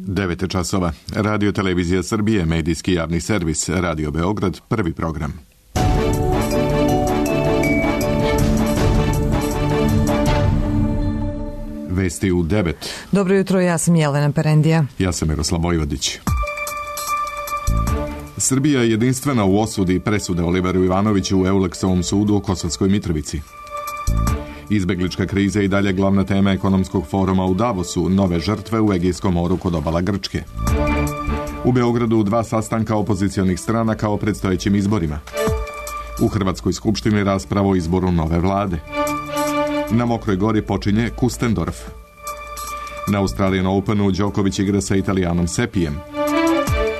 9 časova. Radio Televizija Srbije, medijski javni servis, Radio Beograd, prvi program. Vesti u 9. Dobro jutro, ja sam Jelena Perendija. Ja sam Miroslav Vojvodić. Srbija je jedinstvena u osudi presude Oliveru Ivanoviću u Euleksovom sudu u Kosovskoj Mitrovici. Izbeglička kriza i dalje glavna tema ekonomskog foruma u Davosu, nove žrtve u Egejskom moru kod obala Grčke. U Beogradu 2 sastanka opozicionih stranaka o predstojećim izborima. U Hrvatskoj skupštini rasprava o izboru nove vlade. Na Mokroj Gori počinje Kustendorf. Na Australian Openu Đoković igra sa Italijanom Sepijem.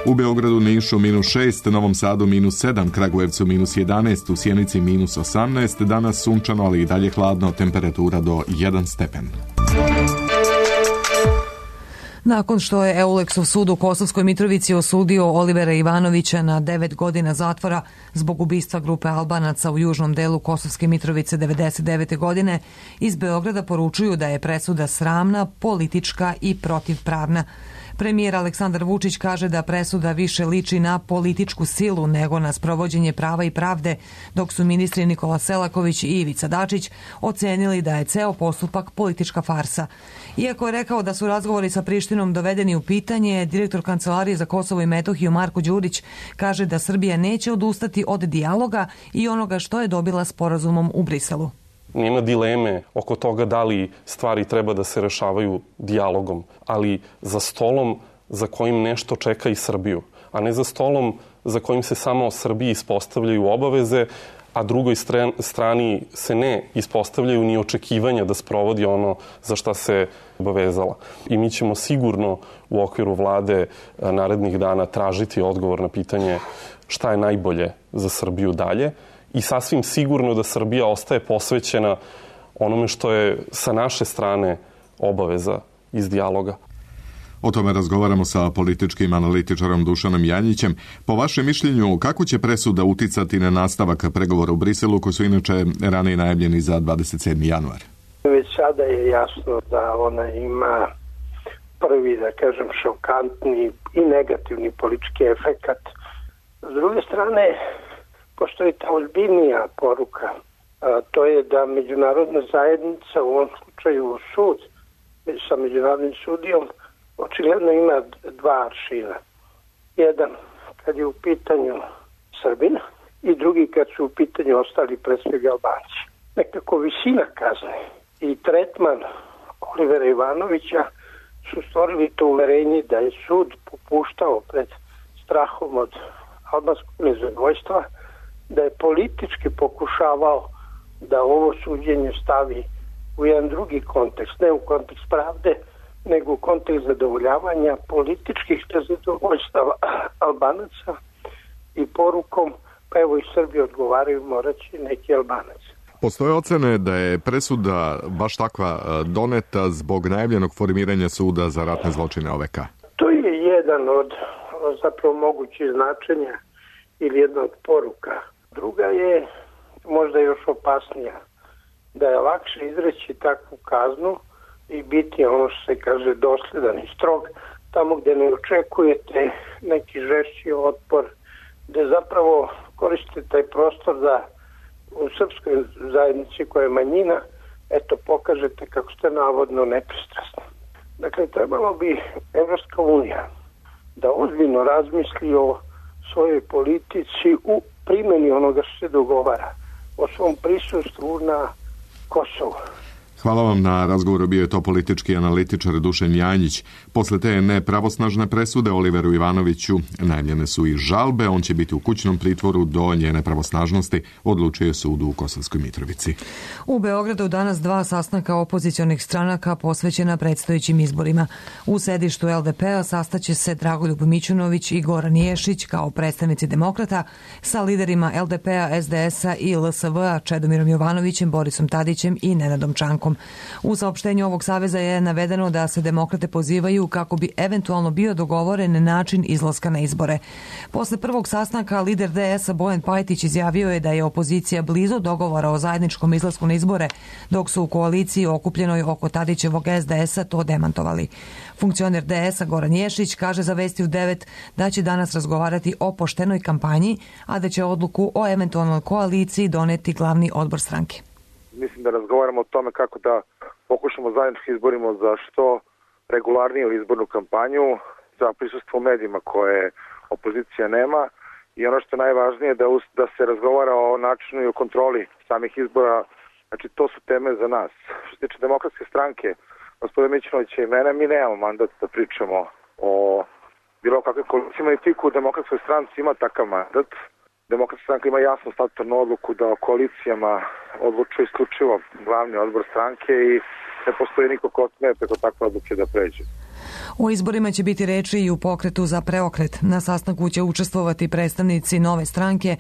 U Beogradu, Nišu -6, Novom Sadu -7, Kragujevcu -11, u Sjenici -18, danas sunčano, ali i dalje hladno, temperatura do 1 stepen. Nakon što je Euleksov sud u Kosovskoj Mitrovici osudio Olivera Ivanovića na 9 godina zatvora zbog ubistva grupe Albanaca u južnom delu Kosovske Mitrovice 1999. godine, iz Beograda poručuju da je presuda sramna, politička i protivpravna. Premijer Aleksandar Vučić kaže da presuda više liči na političku silu nego na sprovođenje prava i pravde, dok su ministri Nikola Selaković i Ivica Dačić ocenili da je ceo postupak politička farsa. Iako je rekao da su razgovori sa Prištinom dovedeni u pitanje, direktor Kancelarije za Kosovo i Metohiju Marko Đurić kaže da Srbija neće odustati od dijaloga i onoga što je dobila sporazumom u Briselu. Nema dileme oko toga da li stvari treba da se rešavaju dijalogom, ali za stolom za kojim nešto čeka i Srbiju, a ne za stolom za kojim se samo Srbiji ispostavljaju obaveze, a drugoj strani se ne ispostavljaju ni očekivanja da sprovodi ono za šta se obavezala. I mi ćemo sigurno u okviru vlade narednih dana tražiti odgovor na pitanje šta je najbolje za Srbiju dalje. I sasvim sigurno da Srbija ostaje posvećena onome što je sa naše strane obaveza iz dijaloga. O tome razgovaramo sa političkim analitičarom Dušanom Janjićem. Po vašem mišljenju, kako će presuda uticati na nastavak pregovora u Briselu, koji su inače ranije najavljeni za 27. januar? Već sada je jasno da ona ima prvi, da kažem, šokantni i negativni politički efekat. S druge strane, postoji ta ozbiljnija poruka, to je da međunarodna zajednica, u ovom slučaju sud sa međunarodnim sudijom, očigledno ima 2 aršina. Jedan kad je u pitanju Srbina i drugi kad su u pitanju ostali, pre svega Albanci. Nekako visina kazne i tretman Olivera Ivanovića su stvorili to uverenje da je sud popuštao pred strahom od albanskog nezadovoljstva, da je politički pokušavao da ovo suđenje stavi u jedan drugi kontekst, ne u kontekst pravde, nego u kontekst zadovoljavanja političkih nezadovoljstava Albanaca i porukom, pa evo i Srbi odgovaraju, moraće neki Albanac. Postoje ocene da je presuda baš takva doneta zbog najavljenog formiranja suda za ratne zločine OVK. To je jedan od zapravo mogućih značenja ili jedna od poruka. Druga je možda još opasnija, da je lakše izreći takvu kaznu i biti ono što se kaže dosledan i strog, tamo gde ne očekujete neki žešći otpor, gde zapravo koristite taj prostor da u srpskoj zajednici koja je manjina, eto, pokažete kako ste navodno nepristrasni. Dakle, trebalo bi Evropska unija da ozbiljno razmisli o svojoj politici u primjeni onoga što se dogovara, o svom prisustvu na Kosovu. Hvala vam na razgovoru, bio je to politički analitičar Dušan Janjić. Posle te nepravosnažne presude Oliveru Ivanoviću najavljene su i žalbe, on će biti u kućnom pritvoru do njene pravosnažnosti, odlučuje sud u Kosovskoj Mitrovici. U Beogradu danas 2 sastanka opozicionih stranaka posvećena predstojećim izborima. U sedištu LDP-a sastaće se Dragoljub Mićunović i Goran Ješić kao predstavnici demokrata sa liderima LDP-a, SDS-a i LSV-a Čedomirom Jovanovićem, Borisom Tadićem i Nenadom Čankom. Vučićem. U saopštenju ovog saveza je navedeno da se demokrate pozivaju kako bi eventualno bio dogovoren način izlaska na izbore. Posle prvog sastanka lider DS-a Bojan Pajtić izjavio je da je opozicija blizu dogovora o zajedničkom izlasku na izbore, dok su u koaliciji okupljenoj oko Tadićevog SDS-a to demantovali. Funkcioner DS-a Goran Ješić kaže za Vesti u 9 da će danas razgovarati o poštenoj kampanji, a da će odluku o eventualnoj koaliciji doneti glavni odbor stranke. Mislim da razgovaramo o tome kako da pokušamo zajednički izborimo za što regularniju izbornu kampanju, za prisustvo u medijima koje opozicija nema i ono što je najvažnije da se razgovara o načinu i o kontroli samih izbora. Znači to su teme za nas. Što se tiče Demokratske stranke, gospodin Mićunovića i mene, mi nemamo mandat da pričamo o bilo kakve koalicijama i tiku u Demokratskoj stranci ima takav mandat. Demokratska stranka ima jasnu statutarnu odluku da o koalicijama odlučuje isključivo glavni odbor stranke i ne postoji niko ko sme preko takve odluke da pređe. O izborima će biti reči i u pokretu za preokret. Na sastanku će učestvovati predstavnici Nove stranke,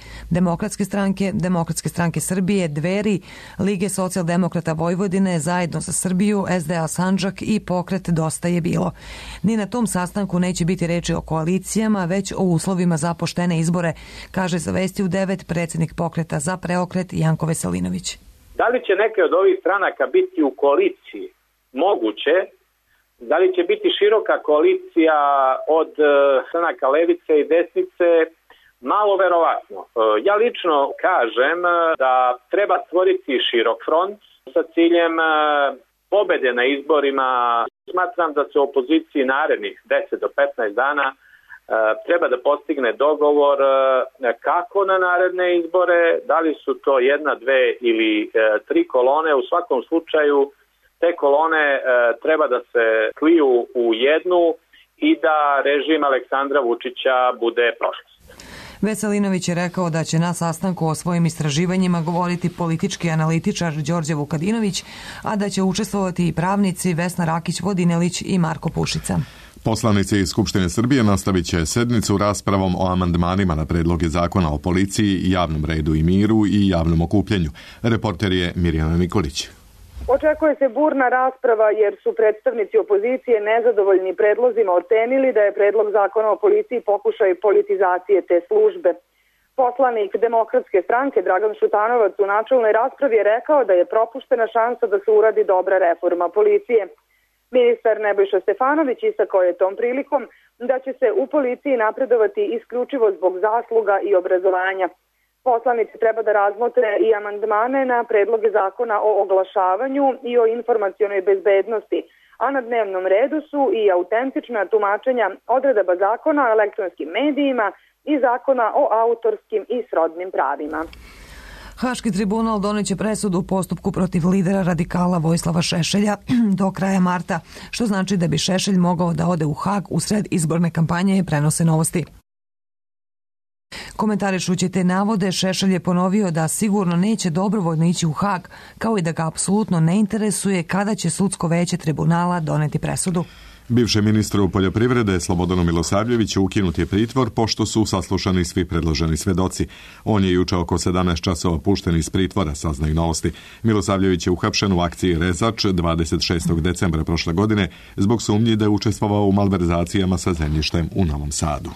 Demokratske stranke Srbije, Dveri, Lige socijaldemokrata Vojvodine, Zajedno za Srbiju, SDA Sandžak i pokret Dosta je bilo. Ni na tom sastanku neće biti reči o koalicijama, već o uslovima za poštene izbore, kaže za Vesti u 9 predsjednik pokreta za preokret Janko Veselinović. Da li će neke od ovih stranaka biti u koaliciji? Moguće. Da li će biti široka koalicija od stranaka levice i desnice? Malo verovatno. Ja lično kažem da treba stvoriti širok front sa ciljem pobede na izborima. Smatram da se u opoziciji narednih 10 do 15 dana treba da postigne dogovor kako na naredne izbore, da li su to 1, 2 ili 3 kolone. U svakom slučaju te kolone treba da se sliju u jednu i da režim Aleksandra Vučića bude prošlost. Veselinović je rekao da će na sastanku o svojim istraživanjima govoriti politički analitičar Đorđe Vukadinović, a da će učestvovati i pravnici Vesna Rakić-Vodinelić i Marko Pušica. Poslanici iz Skupštine Srbije nastavit će sednicu raspravom o amandmanima na predloge zakona o policiji, javnom redu i miru i javnom okupljanju. Reporter je Mirjana Nikolić. Očekuje se burna rasprava jer su predstavnici opozicije nezadovoljni predlozima ocenili da je predlog zakona o policiji pokušaj politizacije te službe. Poslanik Demokratske stranke Dragan Šutanovac u načelnoj raspravi je rekao da je propuštena šansa da se uradi dobra reforma policije. Ministar Nebojša Stefanović istakao je tom prilikom da će se u policiji napredovati isključivo zbog zasluga i obrazovanja. Poslanici treba da razmotre i amandmane na predloge zakona o oglašavanju i o informacionoj bezbednosti, a na dnevnom redu su i autentična tumačenja odredaba zakona o elektronskim medijima i zakona o autorskim i srodnim pravima. Haški tribunal doneće presudu u postupku protiv lidera radikala Vojislava Šešelja do kraja marta, što znači da bi Šešelj mogao da ode u Hag usred izborne kampanje, prenose Novosti. Komentarišući te navode, Šešelj je ponovio da sigurno neće dobrovoljno ići u Hag, kao i da ga apsolutno ne interesuje kada će sudsko veće tribunala doneti presudu. Bivšem ministru poljoprivrede Slobodanu Milosavljeviću ukinut je pritvor pošto su saslušani svi predloženi svedoci. On je juče oko 17 časova pušten iz pritvora, saznaju Novosti. Milosavljević je uhapšen u akciji Rezač 26. decembra prošle godine zbog sumnji da je učestvovao u malverzacijama sa zemljištem u Novom Sadu.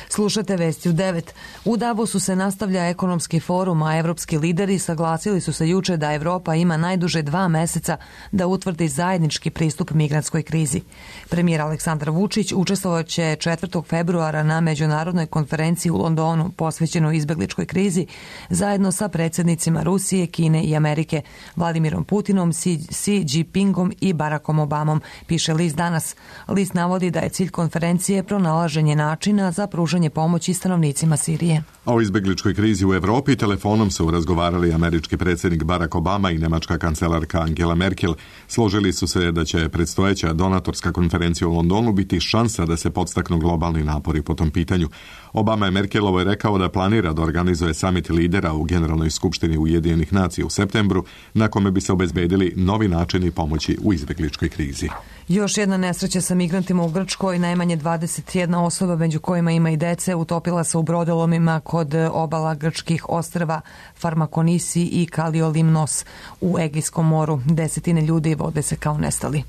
Slušate Vesti u 9. U Davosu se nastavlja ekonomski forum, a evropski lideri saglasili su se juče da Evropa ima najduže 2 meseca da utvrdi zajednički pristup migrantskoj krizi. Premijer Aleksandar Vučić učestvovat će 4. februara na međunarodnoj konferenciji u Londonu posvećenoj izbegličkoj krizi zajedno sa predsjednicima Rusije, Kine i Amerike, Vladimirom Putinom, Xi Jinpingom i Barackom Obamom, piše list Danas. List navodi da je cilj konferencije pronalaženje načina za pružanje pomoći stanovnicima Sirije. O izbegličkoj krizi u Evropi telefonom su razgovarali američki predsjednik Barack Obama i nemačka kancelarka Angela Merkel. Složili su se da će predstojeća donatorska konferencija konferencije u Londonu biti šansa da se podstaknu globalni napori po tom pitanju. Obama je Merkelovo rekao da planira da organizuje samit lidera u Generalnoj skupštini Ujedinjenih nacija u septembru, na kome bi se obezbedili novi načini pomoći u izbegličkoj krizi. Još jedna nesreća sa migrantima u Grčkoj, najmanje 21 osoba, među kojima ima i dece, utopila se u brodolomima kod obala grčkih ostrva Farmakonisi i Kaliolimnos u Egejskom moru. Desetine ljudi vode se kao nestali.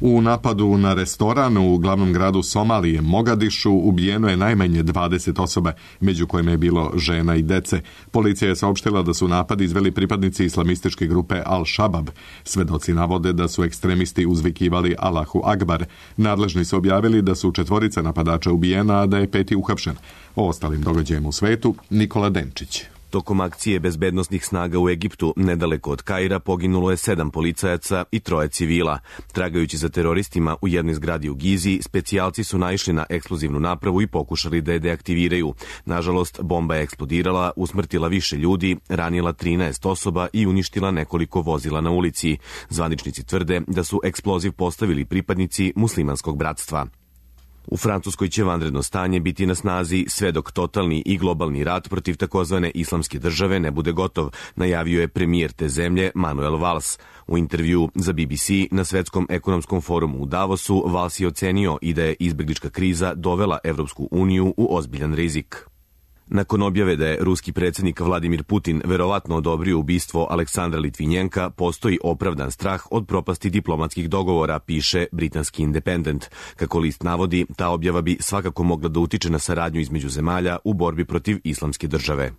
U napadu na restoran u glavnom gradu Somalije, Mogadišu, ubijeno je najmanje 20 osoba, među kojima je bilo žena i dece. Policija je saopštila da su napad izveli pripadnici islamističke grupe Al-Shabab. Svedoci navode da su ekstremisti uzvikivali Allahu Akbar. Nadležni su objavili da su 4 napadača ubijena, a da je 5 uhapšen. O ostalim događajima u svetu, Nikola Denčić. Tokom akcije bezbednosnih snaga u Egiptu, nedaleko od Kaira, poginulo je 7 policajaca i 3 civila. Tragajući za teroristima u jednoj zgradi u Gizi, specijalci su naišli na eksplozivnu napravu i pokušali da je deaktiviraju. Nažalost, bomba je eksplodirala, usmrtila više ljudi, ranila 13 osoba i uništila nekoliko vozila na ulici. Zvaničnici tvrde da su eksploziv postavili pripadnici muslimanskog bratstva. U Francuskoj će vanredno stanje biti na snazi sve dok totalni i globalni rat protiv takozvane islamske države ne bude gotov, najavio je premijer te zemlje Manuel Valls. U intervju za BBC na Svetskom ekonomskom forumu u Davosu Valls je ocenio i da je izbeglička kriza dovela Evropsku uniju u ozbiljan rizik. Nakon objave da je ruski predsjednik Vladimir Putin verovatno odobrio ubistvo Aleksandra Litvinjenka, postoji opravdan strah od propasti diplomatskih dogovora, piše britanski Independent. Kako list navodi, ta objava bi svakako mogla da utiče na saradnju između zemalja u borbi protiv islamske države.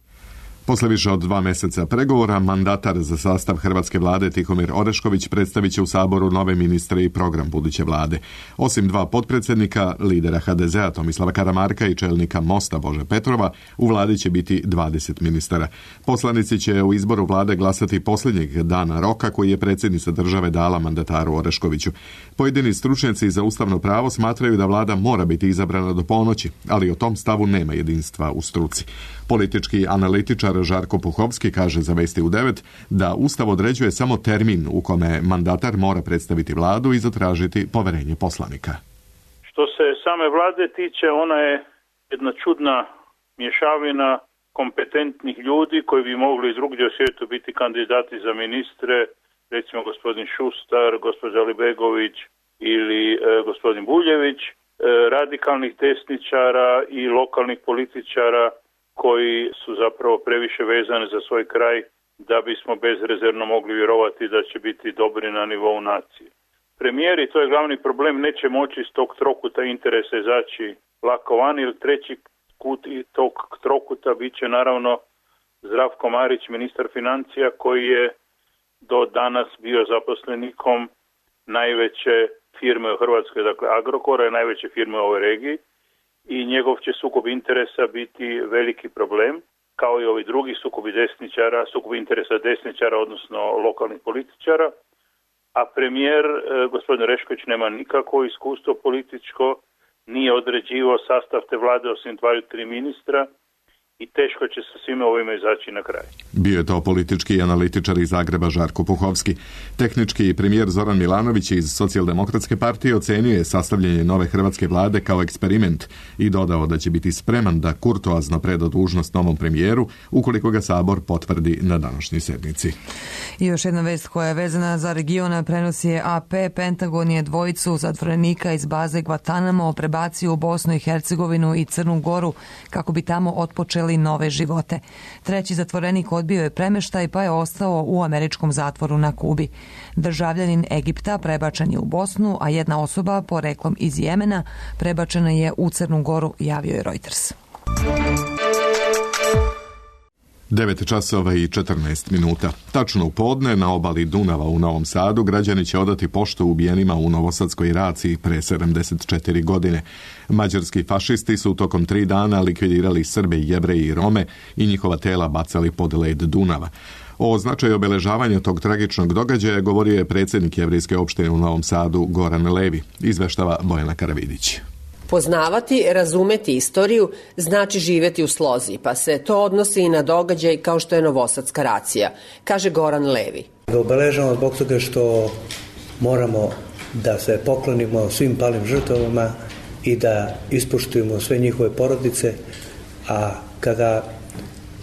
Posle više od 2 meseca pregovora, mandatar za sastav hrvatske vlade Tihomir Orešković predstavit će u Saboru nove ministre i program buduće vlade. Osim 2 potpredsjednika, lidera HDZ-a Tomislava Karamarka i čelnika Mosta Bože Petrova, u vladi će biti 20 ministara. Poslanici će u izboru vlade glasati posljednjeg dana roka koji je predsjednica države dala mandataru Oreškoviću. Pojedini stručnjaci za ustavno pravo smatraju da vlada mora biti izabrana do ponoći, ali o tom stavu nema jedinstva u struci. Politički analitičar Žarko Puhovski kaže za Vesti u 9 da Ustav određuje samo termin u kome mandatar mora predstaviti vladu i zatražiti poverenje poslanika. Što se same vlade tiče, ona je jedna čudna mješavina kompetentnih ljudi koji bi mogli drugdje u svijetu biti kandidati za ministre, recimo gospodin Šustar, gospođa Libegović ili gospodin Buljević, radikalnih desničara i lokalnih političara koji su zapravo previše vezani za svoj kraj da bismo bezrezervno mogli vjerovati da će biti dobri na nivou nacije. Premijeri, to je glavni problem, neće moći iz tog trokuta interesa izaći lako van, jer treći kut i tog trokuta bit će naravno Zdravko Marić, ministar financija, koji je do danas bio zaposlenikom najveće firme u Hrvatskoj, dakle Agrokora je najveće firme u ovoj regiji, i njegov će sukob interesa biti veliki problem, kao i ovi drugi sukobi interesa desničara, odnosno lokalnih političara, a premijer, gospodin Orešković, nema nikakvo iskustvo političko, nije određivao sastav te vlade osim 2-3 ministra i teško će sa svime ovime izaći na kraj. Bio je to politički analitičar iz Zagreba Žarko Puhovski. Tehnički premijer Zoran Milanović iz Socijaldemokratske partije ocenio je sastavljanje nove hrvatske vlade kao eksperiment i dodao da će biti spreman da kurtoazno preda dužnost novom premijeru ukoliko ga Sabor potvrdi na današnjoj sednici. I još jedna vest koja je vezana za regiona prenosi je AP. Pentagon je 2 zatvorenika iz baze Guantanamo prebacio u Bosnu i Hercegovinu i Crnu Goru kako bi tamo otpočeli nove živote. 3. zatvorenik odbio je premeštaj pa je ostao u američkom zatvoru na Kubi. Državljanin Egipta prebačen je u Bosnu, a jedna osoba poreklom iz Jemena prebačena je u Crnu Goru, javio je Reuters. 9:14. Tačno u podne na obali Dunava u Novom Sadu građani će odati poštu ubijenima u novosadskoj raciji pre 74 godine. Mađarski fašisti su tokom 3 dana likvidirali Srbe, Jevreje i Rome i njihova tela bacali pod led Dunava. O značaju obeležavanja tog tragičnog događaja govorio je predsjednik Jevrejske opštine u Novom Sadu Goran Levi, izveštava Bojana Karavidić. Poznavati, razumeti istoriju znači živjeti u slozi, pa se to odnosi i na događaj kao što je Novosadska racija, kaže Goran Levi. Obeležavamo zbog toga što moramo da se poklonimo svim palim žrtvama i da ispoštujemo sve njihove porodice, a kada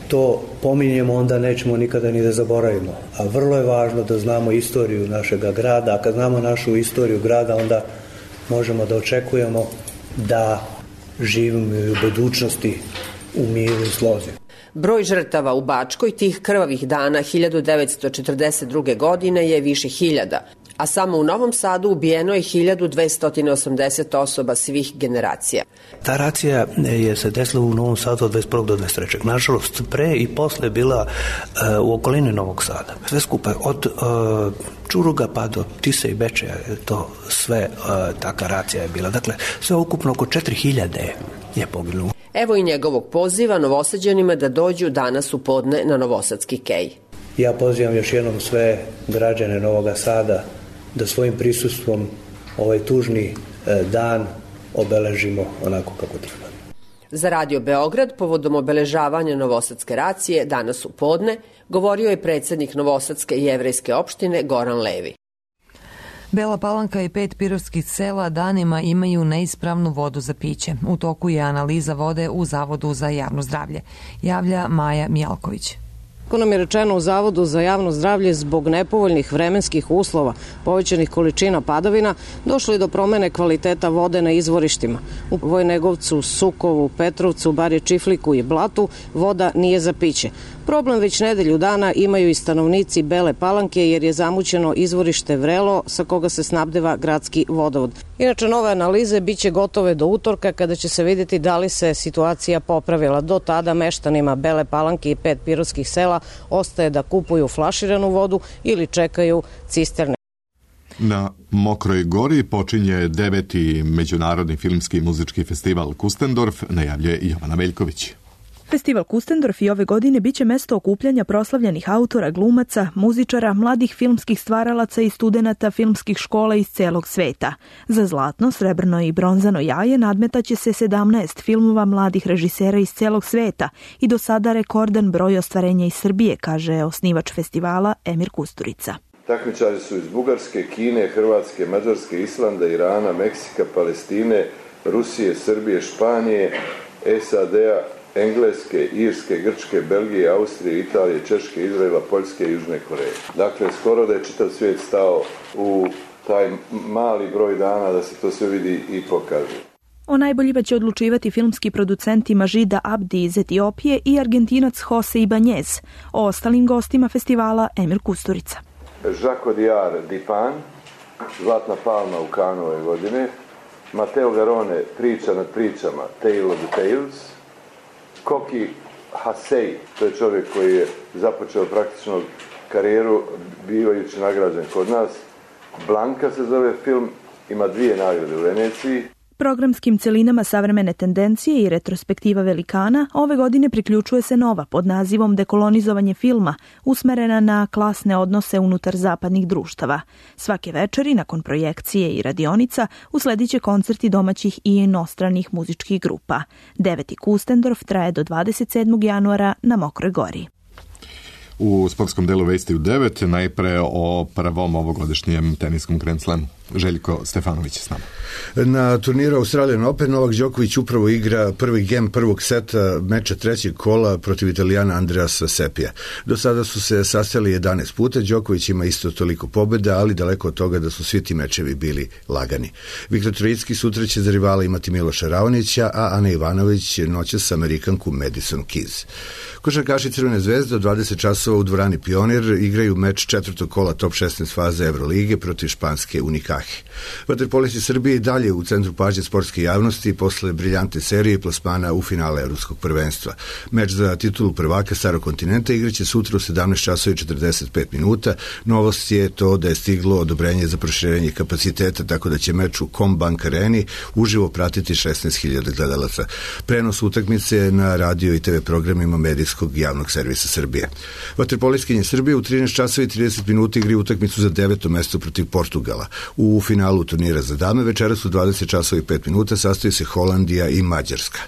to pominjemo, onda nećemo nikada ni da zaboravimo. A vrlo je važno da znamo istoriju našega grada, a kad znamo našu istoriju grada, onda možemo da očekujemo da živimo i u budućnosti u miru i slozi. Broj žrtava u Bačkoj tih krvavih dana 1942. godine je više hiljada, a samo u Novom Sadu ubijeno je 1280 osoba svih generacija. Ta racija je se desila u Novom Sadu od 21. do 23. Nažalost, pre i posle je bila u okolini Novog Sada. Sve skupa, od Čuruga pa do Tise i Bečeja, to sve taka racija je bila. Dakle, sve ukupno oko 4000 je poginulo. Evo i njegovog poziva Novosađanima da dođu danas u podne na Novosadski kej. Ja pozivam još jednom sve građane Novog Sada da svojim prisustvom ovaj tužni dan obeležimo onako kako treba. Za Radio Beograd povodom obeležavanja Novosadske racije danas u podne govorio je predsednik Novosadske jevrejske opštine Goran Levi. Bela Palanka i 5 pirotskih sela danima imaju neispravnu vodu za piće. U toku je analiza vode u Zavodu za javno zdravlje, javlja Maja Mijalković. Kako nam je rečeno u Zavodu za javno zdravlje, zbog nepovoljnih vremenskih uslova, povećanih količina padavina, došlo je do promene kvaliteta vode na izvorištima. U Vojnegovcu, Sukovu, Petrovcu, Barje Čifliku i Blatu voda nije za piće. Problem već nedelju dana imaju i stanovnici Bele Palanke jer je zamućeno izvorište Vrelo sa koga se snabdeva gradski vodovod. Inače, nove analize biće gotove do utorka kada će se vidjeti da li se situacija popravila. Do tada meštanima Bele Palanke i 5 pirotskih sela ostaje da kupuju flaširanu vodu ili čekaju cisterne. Na Mokroj Gori počinje 9. Međunarodni filmski i muzički festival Kustendorf, najavljuje Jovana Veljković. Festival Kustendorf i ove godine biće mesto okupljanja proslavljenih autora, glumaca, muzičara, mladih filmskih stvaralaca i studenata filmskih škola iz celog sveta. Za zlatno, srebrno i bronzano jaje nadmetaće se 17 filmova mladih režisera iz celog sveta i do sada rekordan broj ostvarenja iz Srbije, kaže osnivač festivala Emir Kusturica. Takmičari su iz Bugarske, Kine, Hrvatske, Mađarske, Islanda, Irana, Meksika, Palestine, Rusije, Srbije, Španije, SAD-a, Engleske, Irske, Grčke, Belgije, Austrije, Italije, Češke, Izraela, Poljske i Južne Koreje. Dakle, skoro da je čitav svijet stao u taj mali broj dana da se to sve vidi i pokaže. O najboljima će odlučivati filmski producenti Mažida Abdi iz Etiopije i Argentinac Jose Ibanez. O ostalim gostima festivala Emir Kusturica. Žako Diar Dipan, Zlatna palma u Kanu ove godine, Mateo Garone, Priča nad pričama, Tale of the Tales, Koki Hasej, to je čovjek koji je započeo praktično karijeru bivajući nagrađen kod nas. Blanka se zove film, ima 2 nagrade u Veneciji. Programskim celinama savremene tendencije i retrospektiva velikana ove godine priključuje se nova pod nazivom Dekolonizovanje filma, usmerena na klasne odnose unutar zapadnih društava. Svake večeri, nakon projekcije i radionica, usledit će koncerti domaćih i inostranih muzičkih grupa. 9. Kustendorf traje do 27. januara na Mokroj Gori. U sportskom delu vesti u 9, najpre o prvom ovogodišnjem teniskom Grand Slamu. Željko Stefanović je s nama. Na turniru Australian Open Novak Đoković upravo igra prvi gem prvog seta meča 3. kola protiv Italijana Andreasa Sepija. Do sada su se sastali 11 puta, Đoković ima isto toliko pobjeda, ali daleko od toga da su svi ti mečevi bili lagani. Viktor Trojicki sutra će za rivala imati Miloša Raonića, a Ana Ivanović noćas sa Amerikanku Madison Keys. Košarkaši Crvene zvezde od 20 časova u dvorani Pionir igraju meč 4. kola top 16 faze Evrolige protiv španske Unikahi. Vaterpolisti Srbije i dalje u centru pažnje sportske javnosti posle briljantne serije plasmana u finale Evropskog prvenstva. Meč za titulu prvaka Starog kontinenta igraće sutra u 17 časova i 45 minuta. Novost je to da je stiglo odobrenje za proširenje kapaciteta, tako da će meč u Combank Areni uživo pratiti 16.000 gledalaca. Prenos utakmice na radio i TV programima medijskog javnog servisa Srbije. Vaterpolistkinje Srbije u 13 časova i 30 minuta igri utakmicu za 9. mesto protiv Portugala. U U finalu turnira za dame večeras u 20 časova i 5 minuta sastoji se Holandija i Mađarska.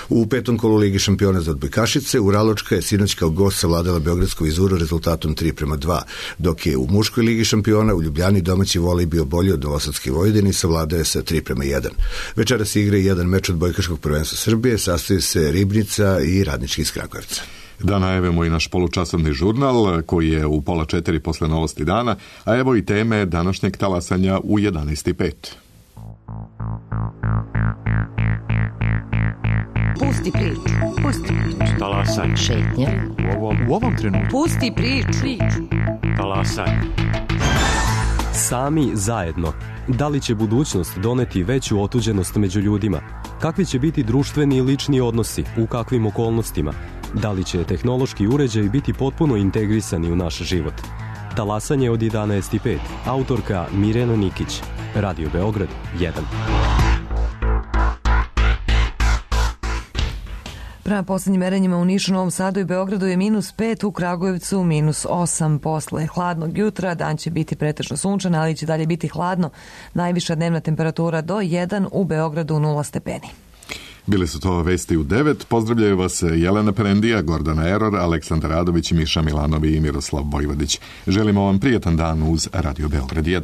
U petom kolu Ligi šampiona za odbojkašice Uraločka je sinoć kao gost savladala beogradsku Vizuru rezultatom 3:2, dok je u muškoj Ligi šampiona u Ljubljani domaći volej bio bolji od Novosadske Vojvodine i savladao je sa 3:1. Večeras igra i jedan meč odbojkaškog prvenstva Srbije, sastoji se Ribnica i Radnički iz Kragujevca. Da najavimo i naš polučasovni žurnal koji je u 3:30 posle novosti dana, a evo i teme današnjeg talasanja u 11:05. Pusti priču. Talasanje. Šetnja. U ovom trenutku. Pusti priču. Talasanje. Sami zajedno. Da li će budućnost doneti veću otuđenost među ljudima? Kakvi će biti društveni i lični odnosi? U kakvim okolnostima? Da li će tehnološki uređaji biti potpuno integrisani u naš život? Talasanje od 11:05. Autorka Mirjana Nikić. Radio Beograd 1. Prema poslednjim merenjima u Nišu, Novom Sadu i Beogradu je -5, u Kragujevcu -8. Posle hladnog jutra dan će biti pretežno sunčan, ali će dalje biti hladno. Najviša dnevna temperatura do 1, u Beogradu 0 stepeni. Bili su to vesti u 9. Pozdravljaju vas Jelena Perendija, Gordana Eror, Aleksandar Radović, Miša Milanovi i Miroslav Vojvodić. Želimo vam prijetan dan uz Radio Beograd 1.